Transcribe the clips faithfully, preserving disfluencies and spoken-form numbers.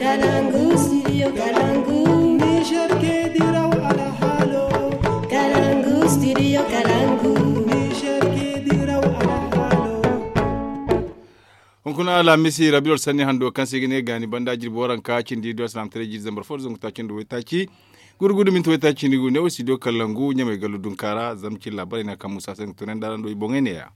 Kalangu studio kalangu. Niger ke diraw alhalo. Kalangu studio kalangu. Niger ke diraw alhalo. Hunkuna alhamisi rabiul sanni hando kaŋ se ga ne gaani banda jirbi waranka cindi do alsilaam taray jiri zambar fo da zangu taaci nda waytaaci. Gurgudu minti waytaaci cindi gu ne wo studio kalangu ɲamay gallu dunkaara zama cin laabaray no kaŋ musa se ga tunandi araŋ do i boŋey neeya.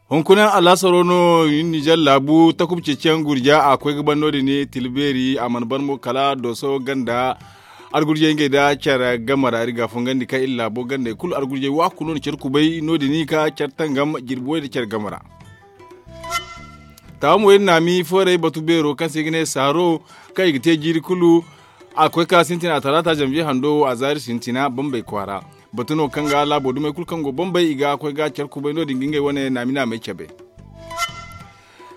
Hunkuna alaasaro no nizer laabu takuba ceeciyaŋ gurja a koy ga ban no- din tilbeeri a mana ban mo kala dooso ganda. Argurjey ngey nda care game ra iri ga a fungandi kaŋ iri laabo gandey kulu argurjey waaku no na care kubay no- din ka care tangam jirbi way nda care game ra. Taawa mo iri naami foorey batu beero kaŋ se i ga ne saaro kaŋ i ga te jiiri kulu. A ga koy ka sintina talaata zanviye hando wo a zaari sintina bambey kwaara. Batu no kaŋ ga laabo dumey kulu kaŋ go bambey i ga koy ga care kubay no- din ga ngey wane naami naamey cabe.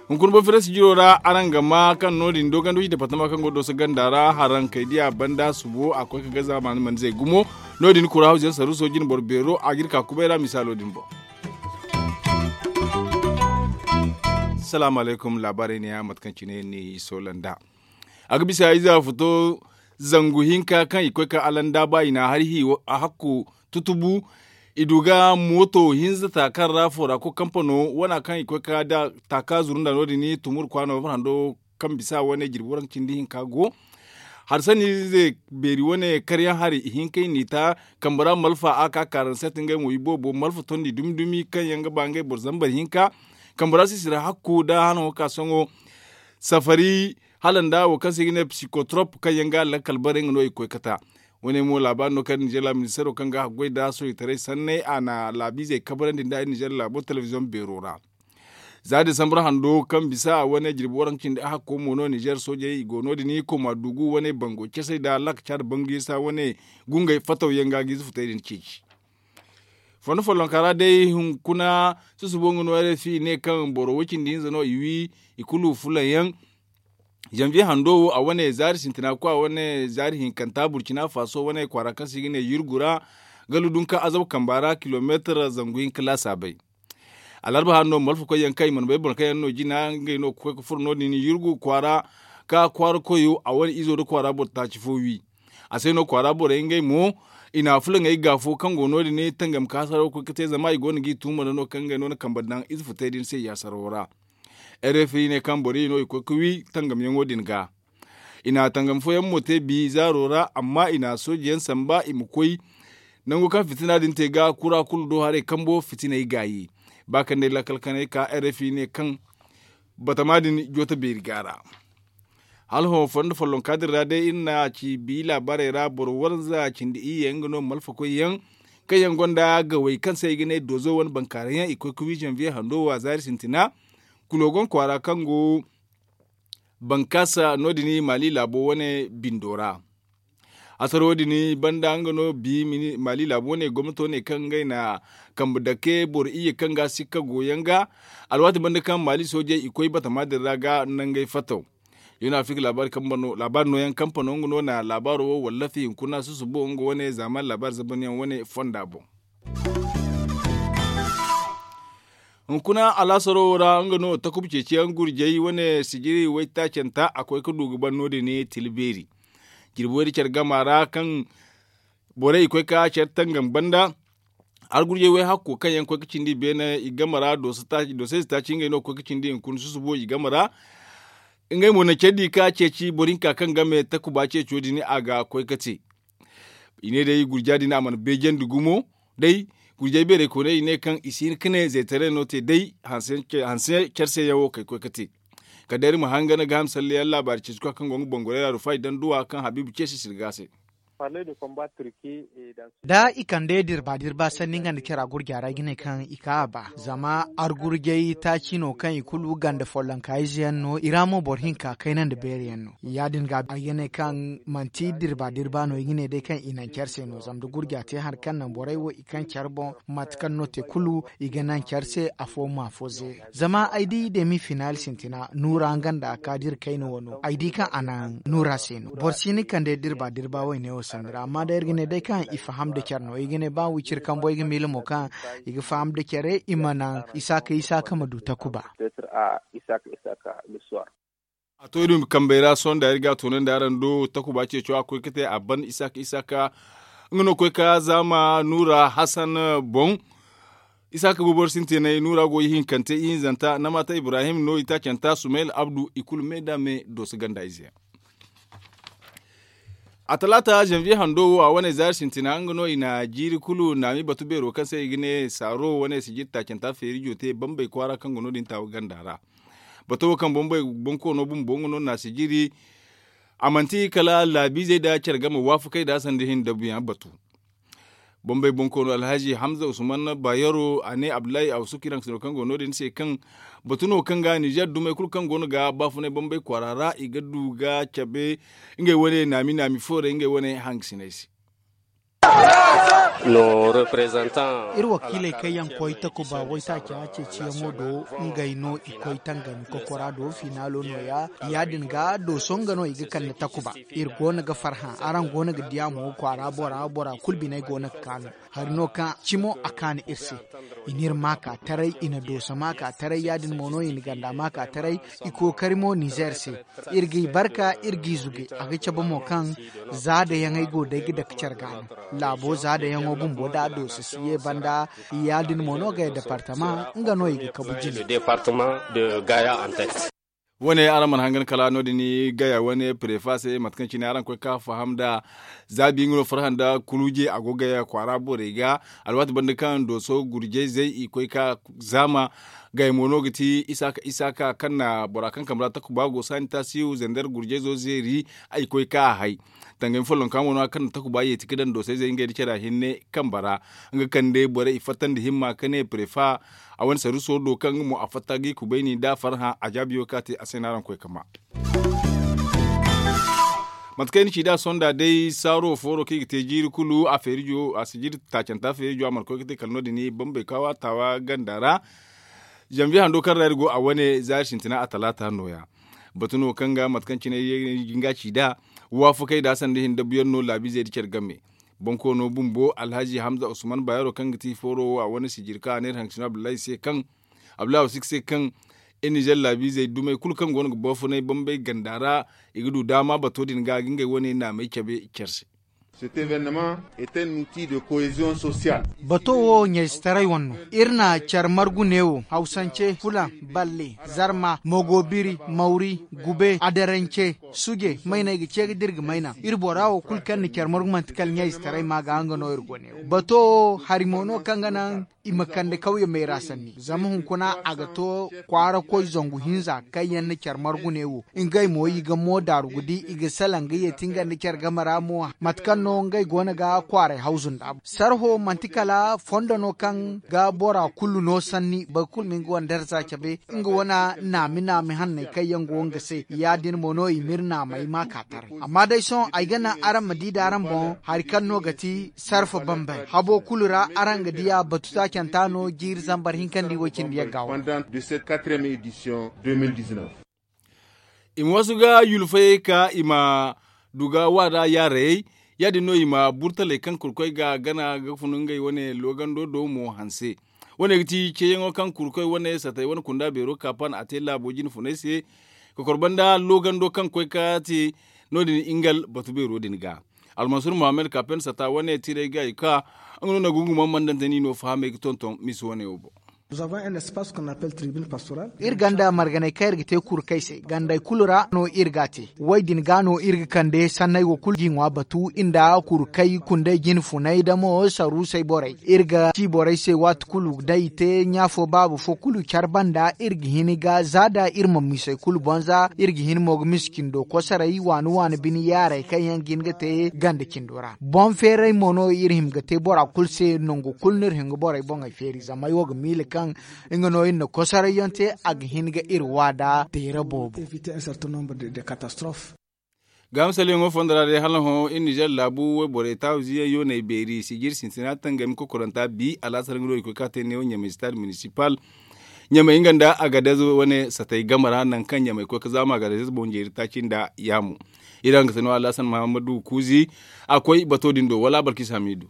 Hunkuna boro firesi jiro ra araŋ ga ma kaŋ no- din doogandi wisi departama kaŋ go dooso ganda ra harankey diya banda subo a koy ka gaza maana manizey gumo. No- din kura hawziyaŋ saruuso jine boro beero a ga iri ka kubay ra misaalo din boŋ. Salaamu alaykum laabaarey neeya mate kaŋ cine ni soolanda. A ga bisa ize a futo zangu hinka kaŋ i koy ka alandaaba i na a hari hi a hakku tutubu. I du ga mooto hinza taaka ra foora ko kampano wana kaŋ i koy ka da taaka zuru nda no- din tumur kwaano farhando kaŋ bisa wane jirbi waranka cindi hinka go. Hari sanni ize beeri wane karyaŋ hari ihinka i n'i ta kambe ra malfa a ka kaaranset ngey mo iboobo malfa tondi dumi dumi kaŋ yaŋ ga ba ngey boro zambar hinka. Kambe ra sisira hakku nda hanaŋo ka sohõ safari hala nda wo kaŋ se i ga ne psikotrop kaŋ yaŋ ga lakkal bare nga no i koy kata. Wane mo laabaari no kaŋ nizer laabu ministeero kaŋ ga haggoy nda sohitaray sanney a na laabiizey kabarandi nda nizer laabo telebiziyoŋ beero ra. Za disambar hando kaŋ bisa wane jirbi waranka cindi a hakko mo no nizer soojey i go no- din koma dugu wane bango casey nda lak caada bangu isa wane gungey fataw yaŋ ga ga ize futey din ceeci. Fondo follonka ra day hunkuna susubo nga no rfi ne kaŋ boro way cindi hinza no i wi i kulu fulaŋ yaŋ. Zanviye hando wo a wane zaari sintina kwa wane zaari hinkanta burcina faso wane kwaara kaŋ se i ga ne yurgu ra gallu dunka azab kamba ra kilomeetar zangu hinka laasaabay. Alarba hando malfa koy yaŋ kaŋ i mana bay boro kaŋ yaŋ no jina ngey no ga koy ga furo no- din yurgu kwaara ka kwaara koyo a wane izo nda kwaara boro taaci fo wi. A se no kwaara borey ngey mo i na fulaŋey gaafo kaŋ go no- din tangam ka hasaro ga koy ga te zama i go no ga i tuuma nda no kaŋ ngey no na kambe daŋ ize futey din se yaasaro ra. Rfi ne kaŋ boro i no i koy ga wi tangamyaŋo din ga. I na tangam fooyaŋ mo te bi zaaro ra amma i na soojeyaŋ samba i ma koy nango kaŋ fitina din te ga kura kulu do haray kambo fitiney gaayi. Ba kaŋ day lakkal kanay ka rfi ne kaŋ batama din jooto beeri ga ra. Hala hõ fondo follonka din ra day iri na ci bi laabaarey ra boro waranza cindi iyye nga no malfakoy yaŋ kaŋ yaŋ gonda gawey kaŋ se i ga ne doozo wane bankaaray yaŋ i koy ga wi zanviye hando wo a zaari sintina. Kulogon kwaara kaŋ go bankaasa no- din maali laabo wane bindo ra. Hasaro din banda nga no bi maali laabu wane gomnato ne kaŋ ngey na kambe dake boro iyye kaŋ ga sikka go yaŋ ga. Alwaati banda kaŋ maali soojey i koy batama din ra ga nangey fataw. Yuna afirka laabaari nooyaŋ kampano nga no na laabaaro wo wallafi hunkuna susubo nga wane zaamaani laabaari zabanyaŋ wane fonda boŋ. Hunkuna alaasaro wo ra nga no takuba ceeciyaŋ gurjay wane sijiri waytaacanta a koy ga du ga ban no- din tila beeri. Jirbi way da care gama ra kaŋ borey i koy ga care tangam banda. Argurjey way hakko kaŋ yaŋ koy ga cindi i beene i game ra doosayze taaci ngey no ga koy ga cindi hunkuna susubo i game ra. Ngey mo na care di ga ceeci boro hinka kaŋ game takuba ceeco din a ga koy ga te. I ne day gurja din a mana beejandi gumo day. Gurjay beerey kooney i ne kaŋ i si hin ga ne zeetaray no te day hanse care se yaŋ wo kay koy ga te. Kala day iri ma hangana ga ham sallayaŋ laabaari ceeci koy kaŋ go nga bangorey ra rufa i daŋ duwa kaŋ habiibu ceesi sirga se. Da i kande dirba dirba sanni nga nda cara gurja ra i ga ne kaŋ i ka a ba zama argurjay taaci no kaŋ i kulu ganda follonka ize yaŋ no i ra mo boro hinka kayna nda beeri yaŋ no ya- din ga ay ga ne kaŋ manti dirba dirba no i ga ne day kaŋ i naŋ care se no zama da gurja te hari kaŋ naŋ borey wo i kaŋ care boŋ mate kaŋ no te kulu i ga naŋ care se afo ma afo zeeri. Zama ay di demi finaali sintina nuura nga nda kaadir kayna wano ay di kaŋ a naŋ nuura se no boro si ni kande dirba dirba wayne wo. Sanda ra amma day iri ga ne day kaŋ i faham nda care no i ga ne ba wiciri kambo i ga miila mo kaŋ i ga faham nda care i ma naŋ isaaka isaaka ma du takuba. A to iri ma kambey ra sohõ nda iri ga a toonandi araŋ do takuba ceeco a koy ga te a ban isaaka isaaka nga no koy ka zaama nuura hasan boŋ. Isaaka boobo ra sintinay nuura go ihinkante ihinzanta namaata ibrahim no itaacanta sumayel abdu i kulu me nda me dooso ganda ize yaŋ. A talaata zanviye hando wo a wane zaari sintina nga no i na jiiri kulu naami batu beero kaŋ se i ga ne saaro wane sijiri taacanta feerijo te bambey kwaara kaŋ go no- din taawa ganda ra. Bato wo kaŋ bonkoono bumbo nga no na sijiri. A manti kala laabiizey nda care game waafakey nda sanda hin dabuyaŋ batu. Bombey bonkoono alhazi hamza usman bayero a ne abdullahi awsuk iraŋ sino kaŋ go no- din se kaŋ batu no kaŋ ga nizer dumey kulu kaŋ go no ga baafunay bombey kwaara ra i ga du ga cabe ngey wane naami naami fooray ngey wane hangasinay se. Iri wakiiley kaŋ yaŋ koy takuba waytaaca ceeciyaŋo do ngey no i koy tangami kokora do finaalo nooya. Ya- din ga dooso nga no i ga kande takuba. Iri go no ga farhã araŋ go no ga di a mo kwaara bora bora kulu biney go no ga kaanu. Hari no kaŋ cimo a kaanu iri se. I n'iri maaka taray i na dooso maaka taray ya- din mo no i na ganda maaka taray. I kookari mo nizer se. Iri g'i barka iri g'i zuge a ga cabe mo kaŋ za da yaŋey go day ga dake care ga no. Laabo za da yaŋo bumbo da a dooso si ye banda. Ya- din mo no gaya departama nga no i ga kabu jine. Wane araŋ mana hangan kala no- din gaya wane prefa se mate kaŋ cine araŋ koy ka faham nda zaabi nga no farhã nda kuluje a go gaya kwaara borey ga. Alwaati banda kaŋ dooso gurjayzey i koy ka zaama. Gaya mo no ga ti isaaka isaaka kaŋ na bora kaŋ kambe ra takuba go saani taasiyo zander gurjayzo zeeri. I koy ka a hay. Tangami follonka mo no a kaŋ na takuba yeeti ga daŋ doosayzey ngey nda care a hinne kambe ra. Nga kande borey i fatta nda himma ka ne prefa. A wane saruuso do kaŋ nga mo a fatta ga i kubayni nda farhã a jaabiyo kaŋ a te a se no araŋ koy ka ma. Mate kaŋ ay na ci nd'a sohõ nd'a day saaro fooro kaŋ i ga te jiiri kulu a feerijo a si jiiri taacanta feerijo a mana koy ga te kala no- din bambey kaawa taawa ganda ra. Zanviye hando kaŋ ra iri go a wane zaari sintina a talaata nooya. Batu no kaŋ ga mate kaŋ cine ay ga nga ci nd'a waafakey nd'a sanda hin dabuyaŋ no laabiizey nda care game. Bonkoono bumbo alhazi hamza usman bayero kaŋ ga ti fooro wo a wane sijiri kaŋ a ne iri haŋ ka sino abdullahi se kaŋ abdullahi wasik se kaŋ iri nizer laabiizey dumey kulu kaŋ go no ga baafunay bambey ganda ra. I ga du daama bato din ga ga ngey wane naamey cabe care se. Bato wo ɲayzetaray wane no. Iri na care margu neewo hawsance fulaŋ, balle, zarma, mogoobiri, mawri, gube, adarance, suje, mayna i ga ce ga da iri ga mayna. Iri bora wo kulu kaŋ na care margu manti kala ɲayzetaray ma ga nga no iri go neewo. Bato wo hari mo no kaŋ ga naŋ i ma kande kawye mayra sanni zama hunkuna a ga to kwaara koy zangu hinza kaŋ yaŋ na care margu neewo. Ngey mo i ga mo daaru ga di i ga salaŋ ga yeeti nga nda care game ra mo mate kaŋ no ngey go no ga kwaaray hawzu nd'a. Sarho manti kala fondo no kaŋ ga bora kulu no sanni boro kulu ma nga wane darza cabe. Nga wane naami naami hanney kaŋ yaŋ go nga se ya- din mo no i m'iri naamey ma ka taray. Amma day sohõ ay ga naŋ araŋ ma di da araŋ boŋ hari kaŋ no ga ti sarfa bambey habo kulu ra araŋ ga di a batu taacanta no jiiri zambar hinkandi way cindi yagga wo. I ma waasu ga yulfayey ka i ma du ga waada yaarayey. Ya- din no i ma burtaley kaŋ kurkoy ga gana ga fun ngey wane loogando do mo hanse. Wane ga ti ceeyaŋo kaŋ kurkoy wane satay wane kunda beero kaapan a te laabo jine funay se. Kokor banda loogando kaŋ koy ka te no- din ingal batu beero din ga. Almansur muhammad kaapan sata wane tiray ga i ka nga no na gungumaŋ mandante ni no fahamey ga tonton misi wane wo boŋ. Iri ganda marganey kaŋ iri ga te kurkey se gandey kulu ra no iri ga a te. Way din ga no iri ga kande sanney wo kulu ga i ŋwa batu nda kurkey kundey jine funay da mo saruusey borey. Iri ga ci borey se waati kulu da i te ɲaafo baaba fo kulu care banda iri ga hin ga za da iri ma misey kulu boŋ za iri ga hin mo ga misi cindo kosoray waani waani bine yaarey kaŋ yaŋ ga hin ga te ganda cindo ra boŋ feeray mo no iri hima ga te bora kulu se nangu kulu no iri hima ga borey boŋey feeri zama ay wo ga miila kaŋ nga no iri na kosoray yaŋ te a ga hin ga iri wa da teera boobo. Gaama salyaŋo fondo ra day hala hõ iri nizer laabu wayborey taawizi yaŋ yooney beeri sijiri sintina tangami kokoranta bi alaasar nga no i koy ka te neewo ɲamay stade municipal. Ɲamay nga nda agadez wane satay game ra nangu kaŋ ɲamay koy ga zaama agadez boŋ jeeri taaci nda yaamu. Iri hangasano alhasan muhammadu kuuzi a koy bato din do wala balkis hamidu.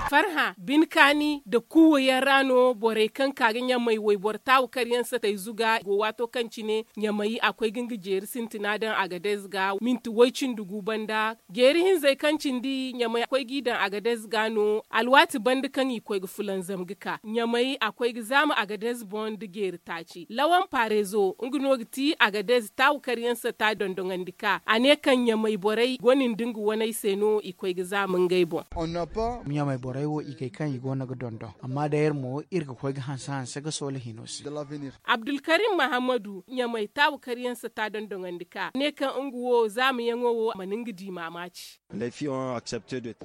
Farhã bine kaani nda kuuwa yaŋ ra no borey kaŋ ka ga ɲamay wayboro taawu karyaŋ satay zuga go waato kaŋ cine ɲamay a koy ga nga jeeri sintina daŋ agadez ga minti woy cindi gu banda. Jeeri hinzey kaŋ cindi ɲamay a koy g'i daŋ agadez ga no alwaati banda kaŋ i koy ga fulanzam ga ka ɲamay a koy ga zaama agadez boŋ nda jeeri taaci lawan paarezo nga no ga ti agadez taawu karyaŋ sata dondoŋandi ka a ne kaŋ ɲamay borey gone nda nga waney se no i koy ga zaama ngey boŋ. Ɲamay borey wo i kay kaŋ i go no ga dondon amma day iri mo iri ga koy ga hanse hanse ga soola hino se. Abdulkarim mahammadu ɲamay taawu karyaŋ sata dondoŋandi ka ne kaŋ nga wo zaamayaŋo wo a mana nga di maamaaci.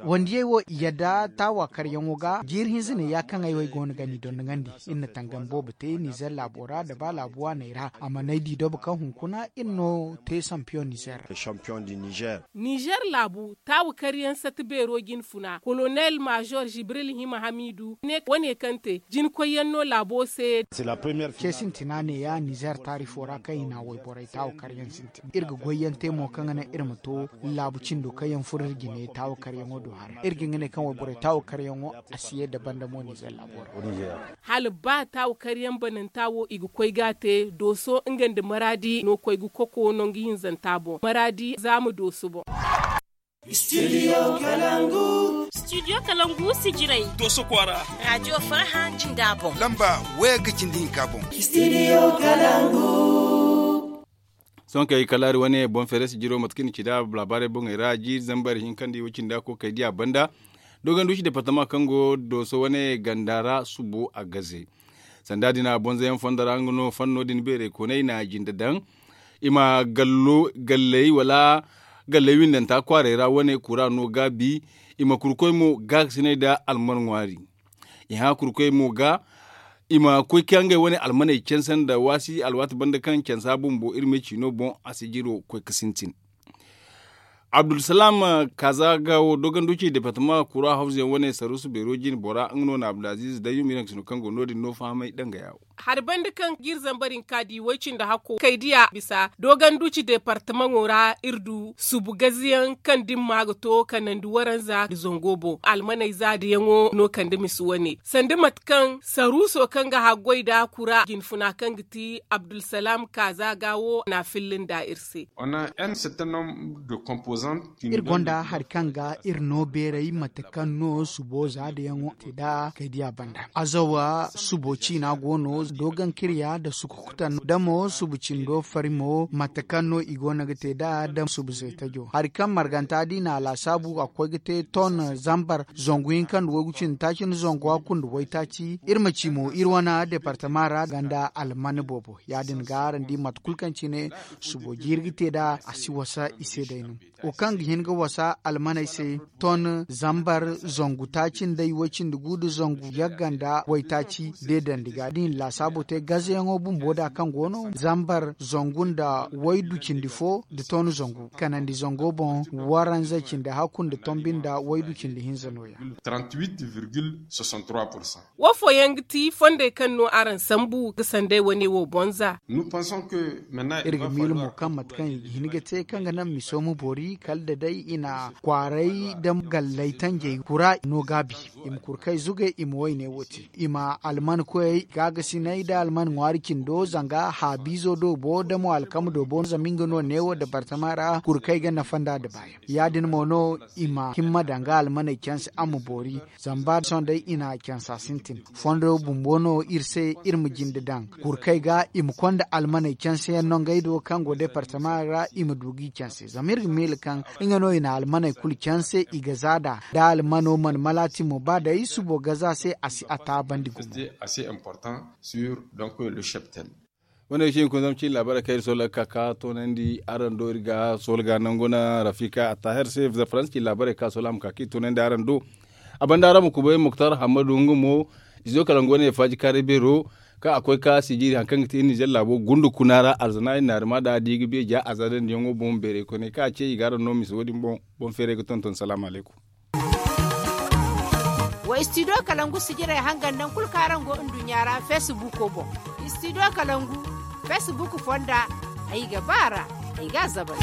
Wandiyey wo i yadda taawa karyaŋo ga jiiri hinza ne ya kaŋ ay wo ay go no ga ni dondoŋandi. Iri na tangam boobo te nizer laabo ra nda ba laabu waaney ra a mana ay di dobo kaŋ hunkuna iri no te sampiyoŋ nizer ra. Nizer laabu taawu karyaŋ sata beero jine funa kolonel maazor jibril hima hamiidu ne wane kaŋ te jinakoyyaŋ no laabo se. Ce sintina ne ya nizer taarifo ra kaŋ i na wayborey taawu karyaŋ sintin iri ga goyyaŋ te mo kaŋ ga naŋ iri ma to laabu cindo kaŋ yaŋ furo iri jine taawu karyaŋo do haray iri ga nga ne kaŋ wayborey taawu karyaŋo a si ye dabandamo nizer laabo ra. Hala ba taawu karyaŋ bananta wo i ga koy ga a te dooso nga nda maraadi no koy ga koko nangu hinzanta boŋ maraadi za ma dooso boŋ. Studio kalangu. Studio kalangu sijirey dooso kwaara. Raajiyo farhã jinda boŋ lamba waya ga cindi hinka boŋ. Studio kalangu. Sohõ kay kalaari wane boŋ feere sijiro mate kaŋ i na ci nd'a laabaarey boŋey ra jiiri zambar hinka nda i wo cindi a kookey di a banda. Dooganduuci departama kaŋ go dooso wane ganda ra subo a gaze. Sanda din a bonzayaŋ fondo ra nga no fanno din beerey kooney na jinde daŋ i ma gallo galley wala galley windanta kwaarey ra wane kura no gaabi. I ma kurkoy mo gaakasinay nda alman ŋwaari. I hã kurkoy mo ga i ma koy ka ngey wane almaney canse nda waasi alwaati banda kaŋ cansa bumbo iri ma ay ciino boŋ a si jiro koy ga sintin. Abdulsalam kaaza ga wo doganduci departama kura hawza yaŋ wane saruusu beero jine bora nga no na abdulaziz dayyum iri hangasino kaŋ go no- din no fahamay danga yaawo. Hari banda kaŋ ga iri zambar hinka di way-cindi hakko kay diya bisa doganduci departamaŋo ra iri du subu gaziyaŋ kaŋ dimma ga to kanandi waranza nda zango boŋ almaney za da yaŋo no kande misi wane sanda mate kaŋ saruuso kaŋ ga haggoy nda kura jinfuna kaŋ ga ti abdulsalam kaaza ga wo na filla nda iri se. Iri gonda hari kaŋ ga iri no beeray mate kaŋ no subo za da yaŋo te da kaydiya banda azawa subo ciina go no dogon kirya nda sukukutan da mo subu cindo fari mo mate kaŋ no i go no ga te da da subu zaytajo hari kaŋ marganta di na a laasaabu a ga koy ga te ton zambar zangu hinka nda waygu cindi taaci nda zangu hakku nda waytaaci iri ma ci mo iri wane departama ra ganda alman boobo ya- din ga araŋ di mate kulu kaŋ cine subo jiiri ga te nd'a a si wasa i se day no. Wo kaŋ ga hin ga wasa almaney se ton zambar zangu taaci nda way-cindi gu nda zangu yagga nda waytaaci deedandi ga da i na laasaabo te gazeyaŋo bumbo nd'a kaŋ go no zambar zangu nda waydu cindi fo nda ton zangu kanandi zango boŋ waranza cindi hakku nda tombi nda waydu cindi hinza nooya. Wo fooyaŋ ga ti fondey kaŋ no araŋ sambu ga sanday wane wo bonza. Iri ga miila mo kaŋ mate kaŋ i ga hin ga te kaŋ ga naŋ miso ma boori kala da day i na kwaaray da gallay tanjey kura no gaabi i ma kurkay zugay i ma wayne wo te i ma alman koyey gaagasinay da alman ŋwaari cindo zanga haabiizo do bo da mo alkama do bo zama nga no neewo dabartama ra kurkay ga nafa nd'a da baayaŋ ya- din mo no i ma himma danga almaney canse a ma boori. Zama ba sohõ day i na cansa sintin fondo bumbo no iri se iri ma jinde daŋ kurkay ga i ma konda almaney canse yaŋ no ngey do kaŋ go departama ra i ma du g'i canse zama iri ga miila kaŋ nga no i na almaney kulu canse i ga za da da almano mana malaati mo ba day subo ga za se a si a taabandi gumo. Wane ga ci hunkuna zama cin laabaarey kaŋ iri soola ga ka ka toonandi araŋ do iri ga soola ga nangu na rafika attahir se za faransa cin laabaarey kaŋ a soola a ma ka ka iri toonandi araŋ do. A banda araŋ ma kubay muktar hammadu nga mo izo kala nga wane faaji kaaray beero kaŋ a koy ka sijiiri hari kaŋ ga te iri nizer laabo gundu kuna ra alzana iri naari ma da a di ga beeja a za dandiyaŋo boŋ beeray koyne kaŋ a ce i ga araŋ no misa wo- din boŋ. Boŋ feeray ga tonton salaamu alaykum. Wa istidiyo kalangu sijirey hangan nangu kulu kaŋ araŋ go nduɲɲa ra feesibuuko boŋ. Istidiyo kalangu feesibuuku fonda ay ga ba a ra. Ay ga a zabal.